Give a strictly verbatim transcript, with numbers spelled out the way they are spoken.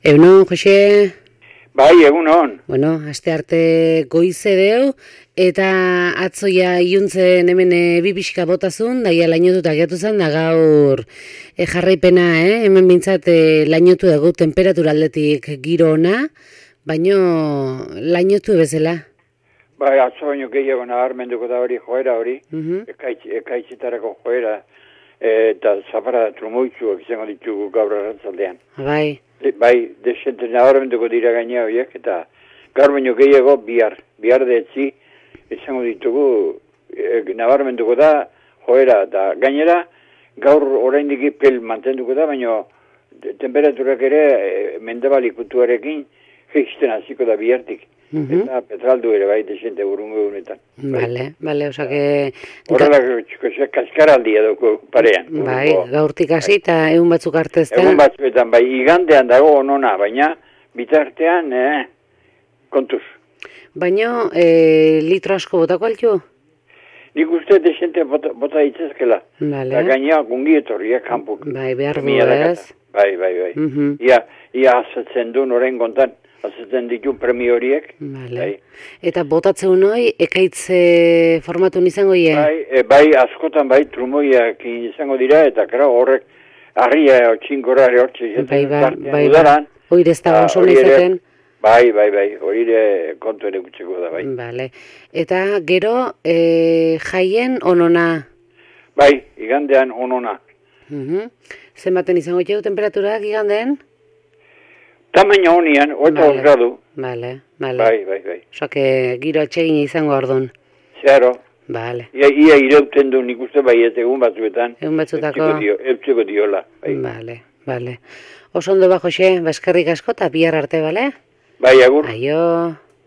Egunon, Jose? Bai, egunon. Bueno, aste arte goize deu, eta atzoia iluntzen hemen e, bi pixka botazun, daia lainotuta gehiatu zen, da gaur e, jarraipena, eh? hemen bintzat e, lainotu dugu temperatura aldetik giro ona, baino lainotu bezala. Bai, atzo baino gehiago nabarmenduko da hori joera hori, uh -huh. ekaitz, ekaitzitarako joera, eta zapara trumoitzuak izango ditugu gaur arrantzaldean. Bai. Bai, desente nabarmenduko dira gaina horiek, eta gaur baino gehiago bihar, bihar detzi izango ditugu, e, nabarmenduko da joera, da gainera gaur oraindik pel mantenduko da, baino temperaturak ere e, mendebalikutuarekin jaisten hasiko da bihartik. Uh -huh. Eta petraldu ere bai desente burungo egunetan. Bale, bale, osa que... Horrela, kaskaraldia dugu parean. Bai, gaurtik hasi eta egun batzuk arte ez da. Egun batzuetan, bai, igandean dago onona, baina bitartean, eh, kontuz. Baina, e, litro asko botako altu? Nik uste desente bota, bota ditzazkela. Bale. Eta gainea gungi etorriak kanpuk. Bai, behar du ez. Bai, bai, bai. Uh -huh. Ia, ia azatzen du noren kontan. Azatzen ditu premio horiek. Vale. Bai. Eta botatzen hori, ekaitze formatu izango ie? Bai, e, bai, askotan bai, trumoiak izango dira, eta kera horrek arria otxinkora ere hortxe izaten. Bai, bai, bai, bai. Hori ez da oso izaten? Bai, bai, bai, hori ere kontu ere gutxeko da, bai. Vale. Eta gero, e, jaien onona? Bai, igandean onona. Uh -huh. Zenbaten izango jau temperaturak igandean? Tamaina honian, oita vale. Gradu. Bale, bale. Bai, bai, bai. Oso, que giro atsegin izango ordun. Zero. Bale. Ia, ia ireuten du nik uste bai ez egun batzuetan. Egun batzutako. Eutxeko dio, diola. Bai. Bale, bale. Oso ondo ba, Jose, baskerrik asko eta bihar arte, bale? Bai, agur. Aio.